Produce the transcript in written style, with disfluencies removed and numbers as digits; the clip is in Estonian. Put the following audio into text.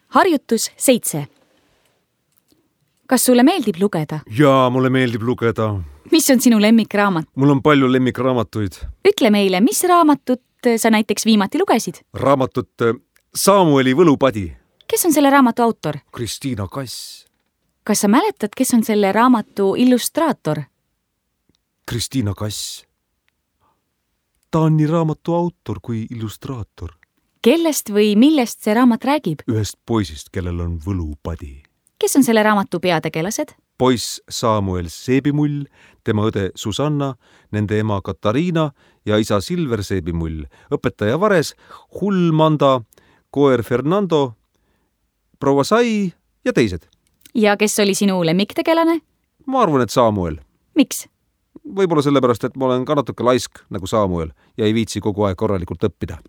Harjutus 7. Kas sulle meeldib lugeda? Jaa, mulle meeldib lugeda. Mis on sinu lemmikraamat? Mul on palju lemmikraamatuid. Ütle meile, mis raamatut sa näiteks viimati lugesid? Raamatut Samueli võlupadi. Kes on selle raamatu autor? Kristiina Kass. Kas sa mäletad, kes on selle raamatu illustraator? Kristiina Kass. Ta on nii raamatu autor kui illustraator. Kellest või millest see raamat räägib? Ühest poisist, kellel on võlupadi. Kes on selle raamatu peategelased? Poiss Samuel Seebimull, tema õde Susanna, nende ema Katariina ja isa Silver Seebimull, õpetaja Vares, hull Manda, koer Fernando, proua Sai ja teised. Ja kes oli sinu lemmiktegelane? Ma arvan, et Samuel. Miks? Võib-olla sellepärast, et ma olen ka natuke laisk nagu Samuel ja ei viitsi kogu aeg korralikult õppida.